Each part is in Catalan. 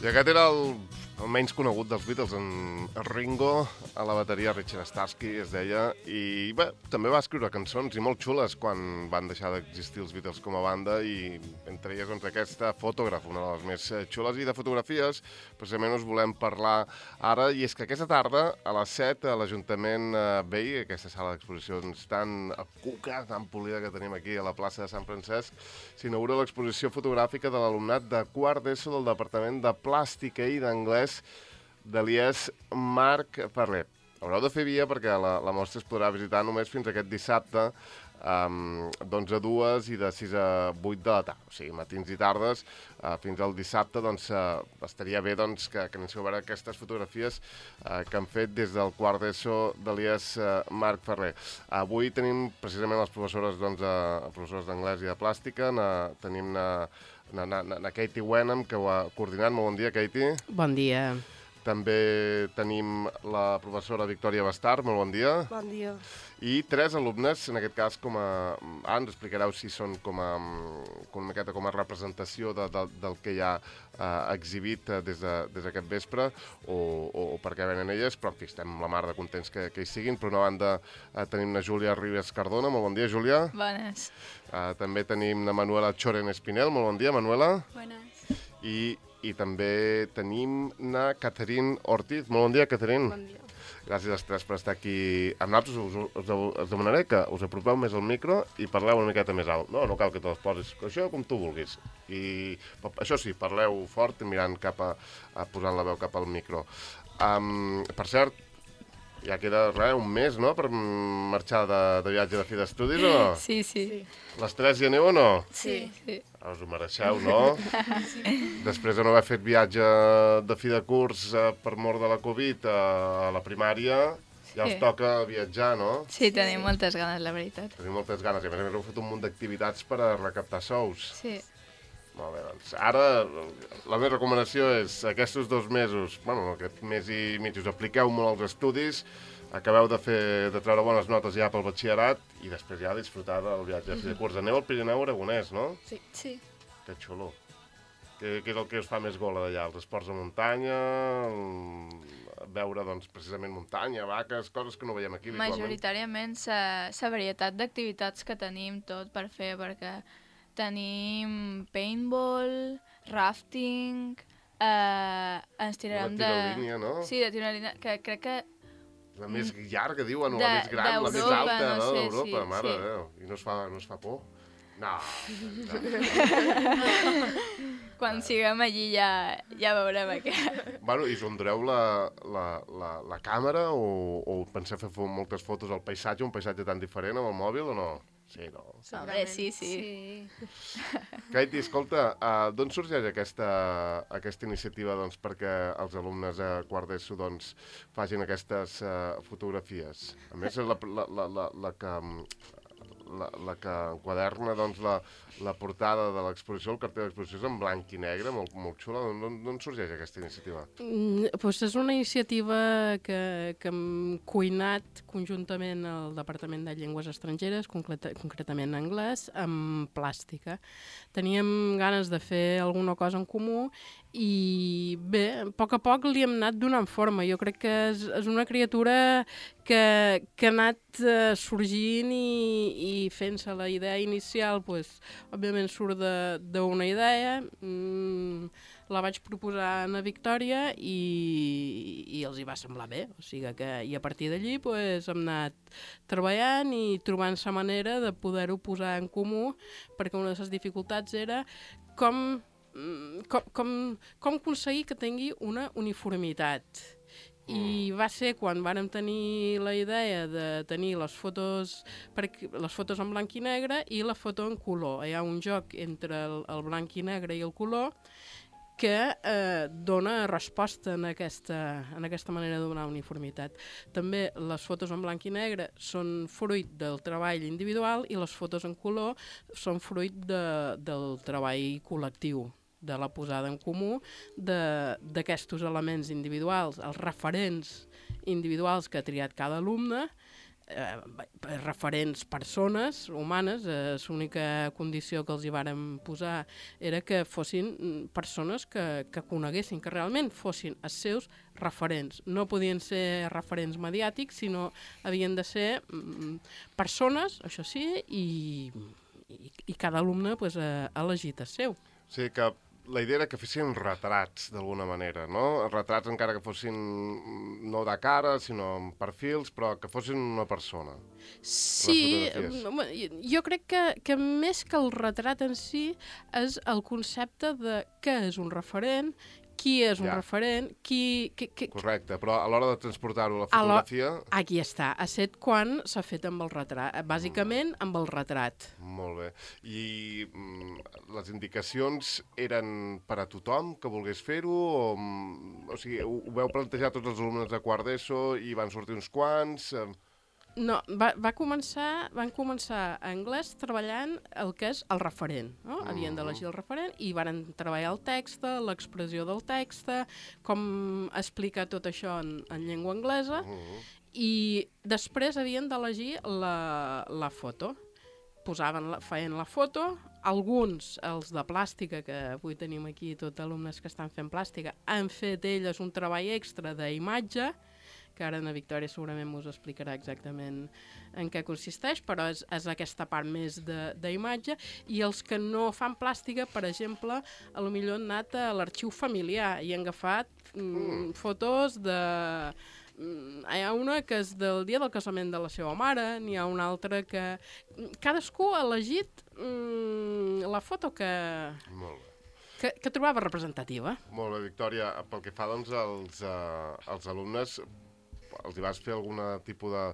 I aquest era el menys conegut dels Beatles, en Ringo, a la bateria Richard Starsky, es deia, i bé, també va escriure cançons i molt xules quan van deixar d'existir els Beatles com a banda, i entre elles doncs, aquesta Photograph, una de les més xules, i de fotografies precisament us volem parlar ara, i és que aquesta tarda a les 7 a l'Ajuntament Vell, aquesta sala d'exposicions tan cuca, tan polida que tenim aquí a la plaça de Sant Francesc, s'inaugura l'exposició fotogràfica de l'alumnat de quart d'ESO del Departament de Plàstica i d'Anglès de l'IES Marc Ferrer. Haureu de fer via perquè la mostra es podrà visitar només fins aquest dissabte d'11 a 2 i de 6 a 8 de la tarda, o sigui, matins i tardes, fins al dissabte, doncs estaria bé doncs, que anéssim a veure aquestes fotografies que han fet des del quart d'ESO de l'IES Marc Ferrer. Avui tenim precisament les professores d'anglès i de plàstica, tenim na Katie Wenham, que ho ha coordinat. Molt bon dia, Katie. Bon dia. També tenim la professora Victòria Bastard. Molt bon dia. Bon dia. I 3 alumnes, en aquest cas ens explicareu si són com a representació del que hi ha exhibit des d'aquest vespre o per què venen elles, però en fi, estem la mar de contents que hi siguin. Per una banda tenim na Júlia Ribes Cardona. Molt bon dia, Júlia. Bones. També tenim na Manuela Choren Espinel. Molt bon dia, Manuela. Bones. I també tenim na Catherine Ortiz. Molt bon dia, Catherine. Bon dia. Gràcies als 3 per estar aquí amb nosaltres. Us demanaré que us apropeu més al micro i parleu una miqueta més alt. No cal que te les posis. Això com tu vulguis. I això sí, parleu fort mirant posant la veu cap al micro. Per cert, ja queda un mes, no?, per marxar de viatge de fi d'estudis, o no? Sí. Les 3 hi aneu o no? Sí. Us ho mereixeu, no? Sí. Després de no haver fet viatge de fi de curs per mort de la Covid a la primària, ja us toca viatjar, no? Sí, tenim moltes ganes, la veritat. Tenim moltes ganes, i a més heu fet un munt d'activitats per a recaptar sous. Sí. Molt bé, doncs ara la meva recomanació és aquests 2 mesos, aquest mes i mig, us apliqueu molt als estudis, acabeu de treure bones notes ja pel batxillerat i després ja disfrutar del viatge de fi de curs. Aneu al Pirineu Aragonès, no? Sí. Que xulo. Què és el que us fa més gola d'allà? Els esports de muntanya, veure, doncs, precisament muntanya, vaques, coses que no veiem aquí habitualment? Majoritàriament la varietat d'activitats que tenim tot per fer, perquè tenim paintball, rafting, ens tirarem de... Una tirolínia, no? Sí, de tirolínia, que crec que... La més llarga, diuen, o la més gran, la més alta, no? D'Europa, mare de Déu. I no es fa por? No. Quan siguem allí ja veurem què. Bueno, i us endureu la càmera o penseu fer moltes fotos al paisatge, un paisatge tan diferent amb el mòbil o no? Sí, no? Hombre, sí. Katie, escolta, d'on sorgeix aquesta iniciativa doncs, perquè els alumnes de quart d'ESO doncs, facin aquestes fotografies? A més, la que enquaderna doncs, la portada de l'exposició, el cartell d'exposició és en blanc i negre, molt xula. D'on sorgeix aquesta iniciativa? És una iniciativa que hem cuinat conjuntament al Departament de Llengües Estrangeres, concretament anglès, amb plàstica. Teníem ganes de fer alguna cosa en comú i bé, a poc li hem anat donant forma. Jo crec que és una criatura que ha anat sorgint i fent-se la idea inicial, òbviament surt d'una idea, la vaig proposar a Victòria i els hi va semblar bé, o sigui que i a partir d'allí hem anat treballant i trobant la manera de poder-ho posar en comú, perquè una de les dificultats era com aconseguir que tingui una uniformitat. I va ser quan vàrem tenir la idea de tenir les fotos en blanc i negre i la foto en color. Hi ha un joc entre el blanc i negre i el color que dona resposta en aquesta manera de donar uniformitat. També les fotos en blanc i negre són fruit del treball individual i les fotos en color són fruit del treball col·lectiu, de la posada en comú d'aquests elements individuals, els referents individuals que ha triat cada alumne, referents persones humanes, l'única condició que els hi vàrem posar era que fossin persones que coneguessin, que realment fossin els seus referents. No podien ser referents mediàtics, sinó havien de ser persones, això sí, i cada alumne ha elegit el seu. O sigui que la idea era que fessin retrats, d'alguna manera, no? Retrats encara que fossin no de cara, sinó amb perfils, però que fossin una persona. Sí, jo crec que més que el retrat en si és el concepte de què és un referent, qui és un referent, Correcte, però a l'hora de transportar-ho a la fotografia... Aquí està, ha set quan s'ha fet amb el retrat, bàsicament amb el retrat. Molt bé. I les indicacions eren per a tothom que volgués fer-ho? O sigui, ho veu plantejar tots els alumnes de quart d'ESO i van sortir uns quants? No, van començar a anglès treballant el que és el referent. No? Havien d'elegir el referent i van treballar el text, l'expressió del text, com explicar tot això en llengua anglesa, i després havien d'elegir la foto. Feien la foto, alguns, els de plàstica, que avui tenim aquí tots alumnes que estan fent plàstica, han fet elles un treball extra d'imatge, que ara na Victòria segurament us explicarà exactament en què consisteix, però és aquesta part més d'imatge, i els que no fan plàstica, per exemple, potser han anat a l'arxiu familiar i han agafat fotos de... Hi ha una que és del dia del casament de la seva mare, n'hi ha una altra que... Cadascú ha elegit la foto que trobava representativa. Molt bé, Victòria. Pel que fa doncs, als alumnes, els hi vas fer algun tipus de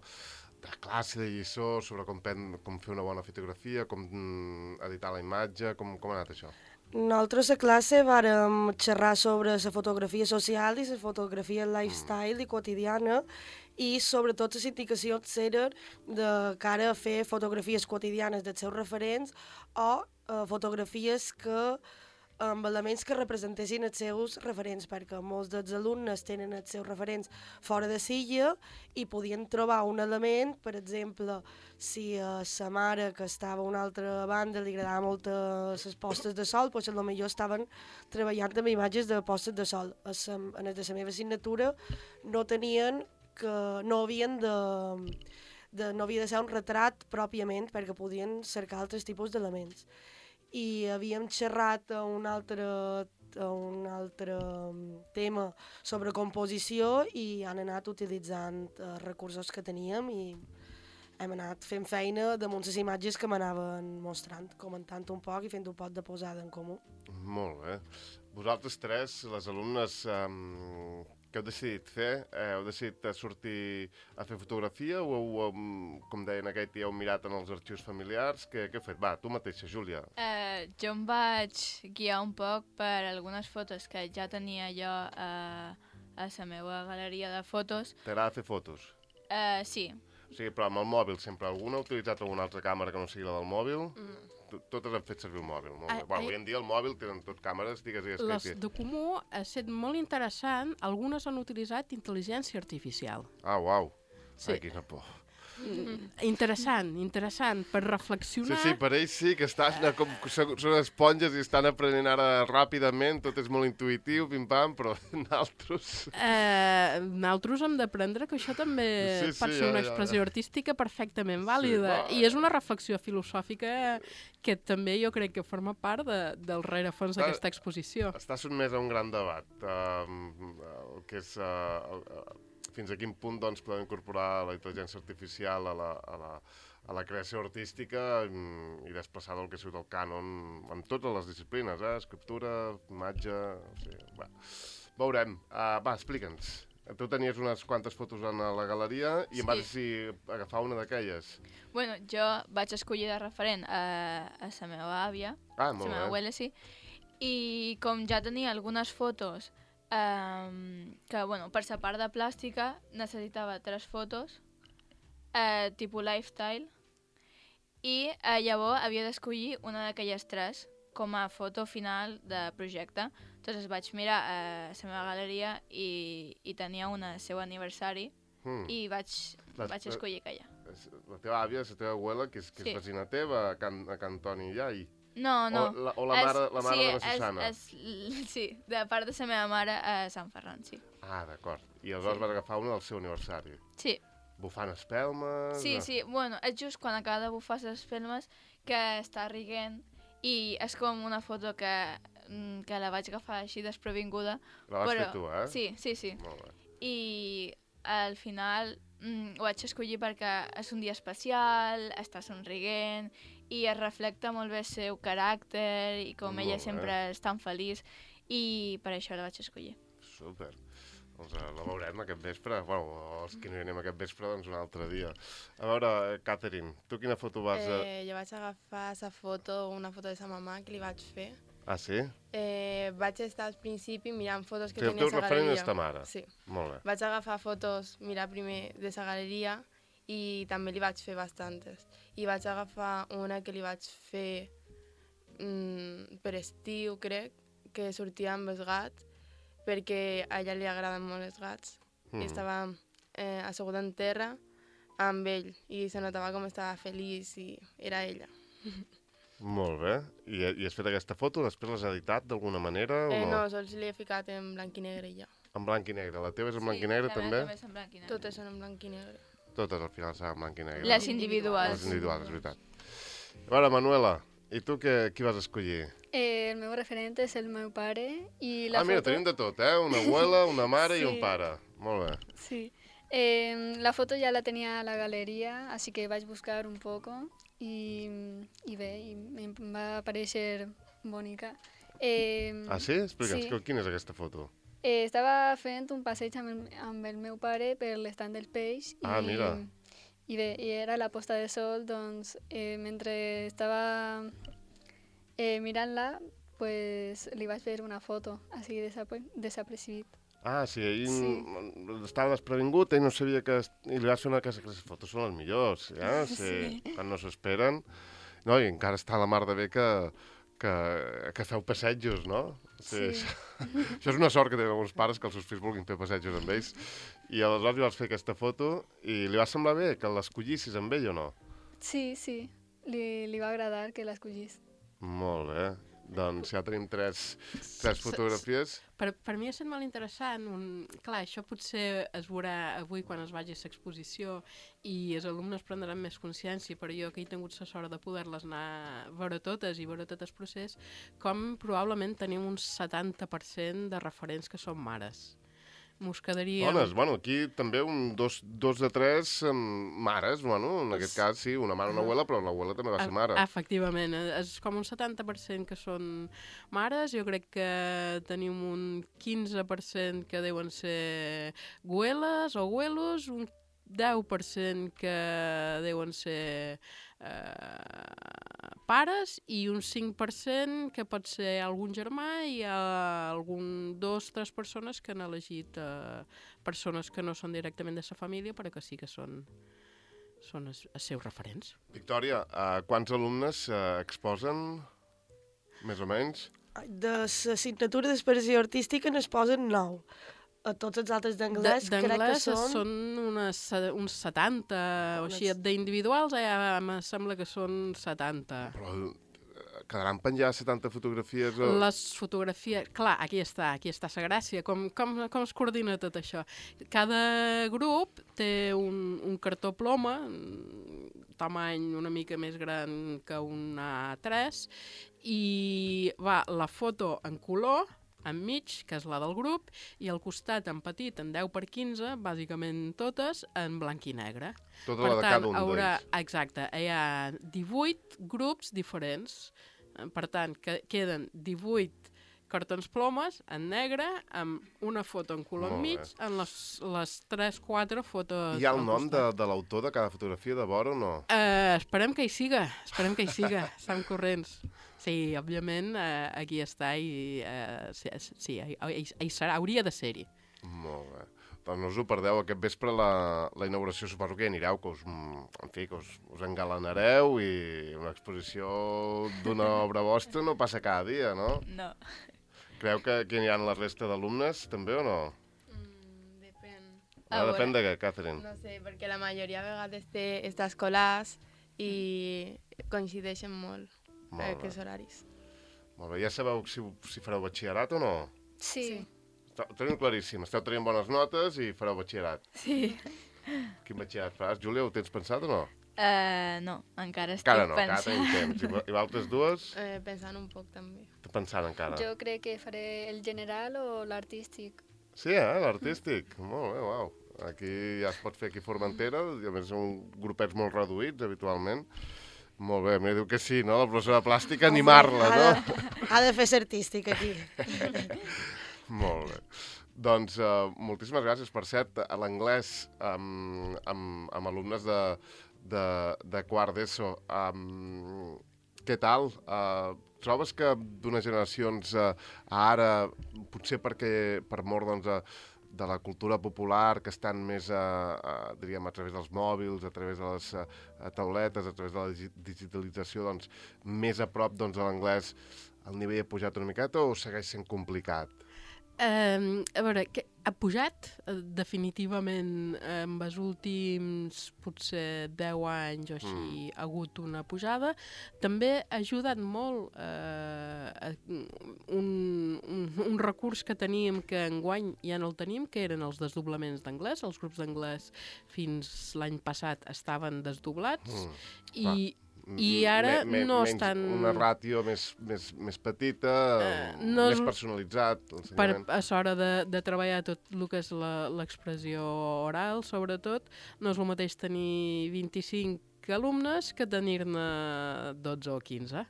classe, de lliçó sobre com fer una bona fotografia, com editar la imatge, com ha anat això? Nosaltres a classe vàrem xerrar sobre la fotografia social i la fotografia lifestyle i quotidiana, i sobretot les indicacions eren de cara a fer fotografies quotidianes dels seus referents o fotografies amb elements que representessin els seus referents, perquè molts dels alumnes tenen els seus referents fora de Silla i podien trobar un element, per exemple, si a sa mare, que estava a una altra banda, li agradaven molt les postes de sol, doncs potser estaven treballant amb imatges de postes de sol. En la meva assignatura no havien no havia de ser un retrat pròpiament, perquè podien cercar altres tipus d'elements. I havíem xerrat a un altre tema sobre composició i han anat utilitzant recursos que teníem i hem anat fent feina damunt les imatges que m'anaven mostrant, comentant un poc i fent un poc de posada en comú. Molt bé. Vosaltres tres, les alumnes, què heu decidit fer? Heu decidit sortir a fer fotografia o com deien aquell, heu mirat en els arxius familiars? Què heu fet? Va, tu mateixa, Júlia. Jo em vaig guiar un poc per algunes fotos que ja tenia jo a la meva galeria de fotos. T'agrada fer fotos? Sí. O sigui, però amb el mòbil sempre. Algú ha utilitzat alguna altra càmera que no sigui la del mòbil? Totes han fet servir el mòbil. Molt bé. Avui en dia el mòbil tenen tot càmeres, digues. Les de comú ha estat molt interessant. Algunes han utilitzat intel·ligència artificial. Ah, uau. Sí. Ai, quina por. Interessant, per reflexionar. Sí, per ells sí, que són esponges i estan aprenent ara ràpidament, tot és molt intuïtiu, pim-pam, però Nosaltres hem d'aprendre que això també pot ser una expressió artística perfectament vàlida, i és una reflexió filosòfica que també jo crec que forma part del rerefons d'aquesta exposició. Està sotmès a un gran debat, que és... fins a quin punt doncs, podem incorporar la intel·ligència artificial a la creació artística i desplaçar del que ha sigut el cànon en totes les disciplines, escriptura, imatge... O sigui, veurem. Va, explica'ns. Tu tenies unes quantes fotos en la galeria i em vas decidir agafar una d'aquelles. Bueno, jo vaig escollir de referent a la meva àvia, la meva abuela, sí, i com ja tenia algunes fotos que, bueno, per la part de plàstica necessitava 3 fotos, tipus lifestyle, i llavors havia d'escollir una d'aquelles 3 com a foto final de projecte. Entonces vaig mirar a la meva galeria i tenia una del seu aniversari i vaig escollir aquella. la teva àvia, la teva abuela, que és vecina teva, a Can Toni Iai. No. O la mare de la Susana. Sí, de part de la meva mare a Sant Ferran, sí. Ah, d'acord. I aleshores vas agafar una del seu aniversari. Sí. Bufant espelmes... Sí. Bueno, és just quan acaba de bufar les espelmes que està riguent i és com una foto que la vaig agafar així desprevinguda. La vas fer tu, eh? Sí. Molt bé. I al final ho vaig escollir perquè és un dia especial, està somrient i es reflecta molt bé el seu caràcter i com ella sempre és tan feliç i per això la vaig escollir. Super. Doncs la veurem aquest vespre. Bueno, els que no hi anem aquest vespre, doncs un altre dia. A veure, Catherine, tu quina foto vas... Jo vaig agafar una foto de sa mamà que li vaig fer. Ah, sí? Vaig estar al principi mirant fotos que tenia a sa galeria. El teu referent és ta mare? Sí. Molt bé. Vaig agafar fotos, mirar primer de sa galeria i també li vaig fer bastantes. I vaig agafar una que li vaig fer per estiu, crec, que sortia amb els gats, perquè a ella li agraden molt els gats. I estava asseguda en terra amb ell i se notava com estava feliç i era ella. Molt bé. I has fet aquesta foto? Després l'has editat d'alguna manera o no? No, sols l'he ficat en blanc i negre ja. En blanc i negre. La teva és en blanc i negre també? Sí, també és en blanc i negre. Totes són en blanc i negre. Totes al final seran en blanc i negre. Les individuals. Les individuals, és veritat. A veure, Manuela, i tu qui vas escollir? El meu referent és el meu pare i la foto... Mira, tenim de tot, Una abuela, una mare i un pare. Molt bé. Sí. La foto ja la tenia a la galeria, així que vaig buscar un poco i bé, em va aparèixer bonica. Sí? Explica'ns, quina és aquesta foto? Estava fent un passeig amb el meu pare per l'estand del peix. Mira. I bé, era la posta de sol, doncs mentre estava mirant-la, pues, li vaig fer una foto, així desapercibit. Sí, estava desprevingut, ell no sabia que... I li vas fer una casa que les fotos són les millors, sí. Quan no s'esperen. No, i encara està la mar de bé que feu passejos, no? Sí. Això és una sort que tenen alguns pares, que els seus fills vulguin fer passejos amb ells. I aleshores li vas fer aquesta foto i li va semblar bé que l'escollissis amb ell o no? Sí. Li va agradar que l'escollís. Molt bé. Doncs ja tenim tres fotografies. Per mi ha estat molt interessant. Clar, això potser es veurà avui quan es vagi a l'exposició i els alumnes prendran més consciència, però jo que he tingut la sort de poder-les anar a veure totes i veure tot el procés, com probablement tenim un 70% de referents que són mares. Mos quedaria... Dones, aquí també dos de tres mares, en aquest cas sí, una mare i una abuela, però l'abuela també va ser mare. Efectivament, és com un 70% que són mares, jo crec que tenim un 15% que deuen ser güeles o güelos, un 10% que deuen ser pares i un 5% que pot ser algun germà i algun 2-3 persones que han elegit persones que no són directament de sa família però que sí que són els seus referents. Victòria, quants alumnes exposen, més o menys? De l'assignatura d'expressió artística n'exposen 9. A tots els altres d'anglès crec que són uns 70 o així. D'individuals em sembla que són 70. Però quedaran penjades 70 fotografies? Les fotografies... Clar, aquí està la gràcia. Com es coordina tot això? Cada grup té un cartó ploma, tamany una mica més gran que un A3, i va la foto en color, enmig, que és la del grup, i al costat, en petit, en 10x15, bàsicament totes, en blanc i negre. Tota la de cada un d'ells. Exacte, hi ha 18 grups diferents. Per tant, queden 18 cartons plomes en negre, amb una foto en color enmig, en les 3-4 fotos... Hi ha el nom de l'autor de cada fotografia de vora o no? Esperem que hi siga, estan corrents. Sí, òbviament, aquí està i sí, hi serà, hauria de ser-hi. Molt bé. Doncs no us ho perdeu, aquest vespre la inauguració suposo que hi anireu, que us engalanareu i una exposició d'una obra vostra no passa cada dia, no? No. Creu que hi aniran la resta d'alumnes també o no? Depèn. Depèn de què, Catherine? No sé, perquè la majoria de vegades té estas escolars i coincideixen molt aquests horaris. Molt bé, ja sabeu si fareu batxillerat o no? Sí. Ho tenim claríssim, esteu tenint bones notes i fareu batxillerat. Sí. Quin batxillerat faràs? Júlia, ho tens pensat o no? No, encara estic pensant. Encara tenim temps. I vosaltres dues? Pensant un poc, també. Pensant encara. Jo crec que faré el general o l'artístic. Sí, l'artístic. Molt bé, uau. Aquí ja es pot fer aquí Formentera, i a més són grupets molt reduïts, habitualment. Molt bé, em diu que sí, no? La professora de plàstica, animar-la, no? Ha de fer ser artístic, aquí. Molt bé. Doncs moltíssimes gràcies. Per cert, a l'anglès amb alumnes de quart d'ESO, què tal? Trobes que d'unes generacions a ara, potser per mort de la cultura popular, que estan més, diríem, a través dels mòbils, a través de les tauletes, a través de la digitalització, doncs, més a prop de l'anglès, el nivell ha pujat una miqueta o segueix sent complicat? A veure, ha pujat definitivament en els últims potser 10 anys o així ha hagut una pujada. També ha ajudat molt un recurs que teníem que enguany ja no el tenim, que eren els desdoblaments d'anglès. Els grups d'anglès fins l'any passat estaven desdoblats i ara no estan... Una ràtio més petita, més personalitzat. A l'hora de treballar tot el que és l'expressió oral, sobretot, no és el mateix tenir 25 alumnes que tenir-ne 12 o 15.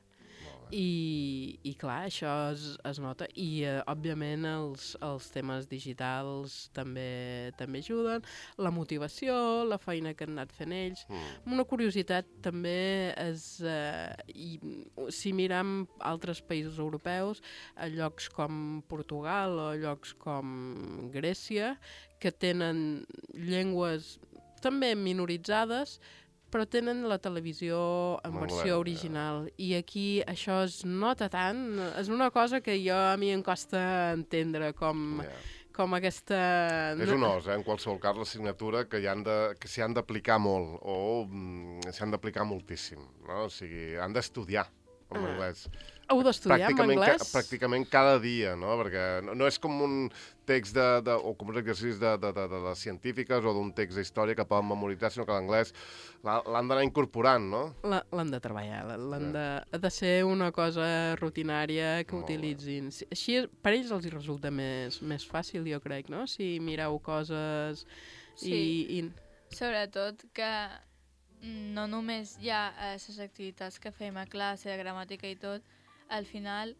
I clar, això es nota. I, òbviament, els temes digitals també ajuden. La motivació, la feina que han anat fent ells. Una curiositat també és, si mirem altres països europeus, a llocs com Portugal o llocs com Grècia, que tenen llengües també minoritzades, però tenen la televisió en versió original. I aquí això es nota tant. És una cosa que a mi em costa entendre com aquesta... És un os, en qualsevol cas, l'assignatura que s'hi han d'aplicar molt o s'hi han d'aplicar moltíssim. No? O sigui, han d'estudiar en anglès. Heu d'estudiar en anglès? Pràcticament cada dia, no? Perquè no és com un text o com un exercici de les científiques o d'un text d'història que poden memoritzar, sinó que l'anglès l'han d'anar incorporant, no? L'han de treballar, ha de ser una cosa rutinària que utilitzin. Així per ells els hi resulta més fàcil, jo crec, no? Si mireu coses i... Sobretot que no només hi ha les activitats que fem a classe, gramàtica i tot, al final,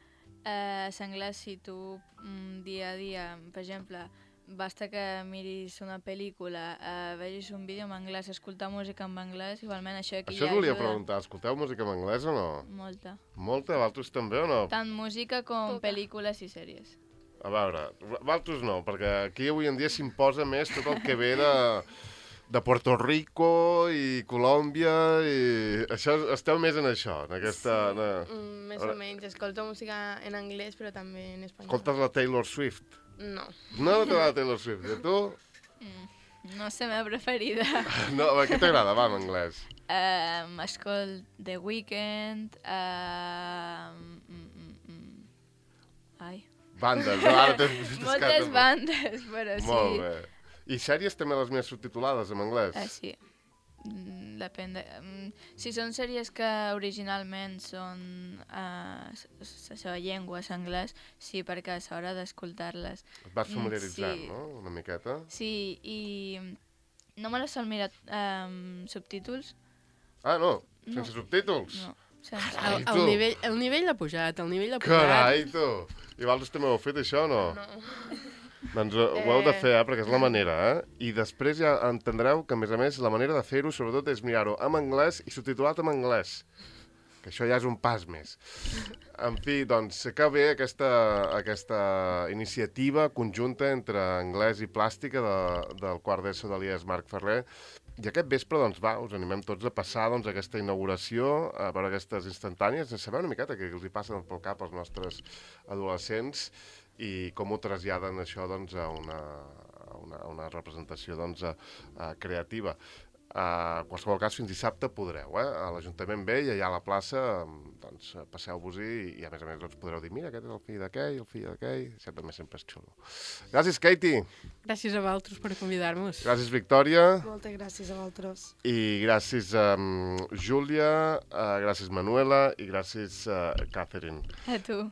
l'anglès, si tu dia a dia, per exemple, basta que miris una pel·lícula, vegis un vídeo en anglès, escoltar música en anglès, igualment això aquí ja ajuda. Això volia preguntar, escolteu música en anglès o no? Molta. Molta? Vosaltres també o no? Tant música com pel·lícules i sèries. A veure, vosaltres no, perquè aquí avui en dia s'imposa més tot el que ve de Puerto Rico i Colòmbia i això, esteu més en això, en aquesta... Més o menys, escolto música en anglès però també en espanyol. Escoltes la Taylor Swift? No. No t'agrada la Taylor Swift, i tu? No és la meva preferida. No, què t'agrada, va, en anglès? Escolt The Weeknd, Bandes, ara moltes bandes, però sí. Molt bé. I sèries també les més subtitulades en anglès? Sí. Depèn de... Si són sèries que originalment són la seva llengua, és anglès, sí, perquè a l'hora d'escoltar-les... Et vas familiaritzant, no?, una miqueta? Sí, i no me les sol mirar subtítols. Ah, no? Sense subtítols? No. El nivell ha pujat, Carai, tu! I vosaltres també ho heu fet, això, o no? No. Doncs ho heu de fer, perquè és la manera, I després ja entendreu que, a més, la manera de fer-ho, sobretot, és mirar-ho en anglès i subtitulat en anglès. Que això ja és un pas més. En fi, doncs, que bé aquesta iniciativa conjunta entre anglès i plàstica del quart d'ESO de l'IES Marc Ferrer. I aquest vespre, doncs, us animem tots a passar aquesta inauguració, a veure aquestes instantànies, a saber una miqueta què els hi passa pel cap als nostres adolescents i com ho traslladen això doncs, a una representació doncs, creativa. En qualsevol cas, fins dissabte podreu, a l'Ajuntament Vell, allà a la plaça, doncs passeu-vos-hi i a més doncs, podreu dir, mira, aquest és el fill d'aquell, el fill d'aquell, això també sempre és xulo. Gràcies, Katie. Gràcies a vosaltres per convidar-nos. Gràcies, Victòria. Moltes gràcies a vosaltres. I gràcies, Júlia, gràcies, Manuela, i gràcies, Catherine. A tu.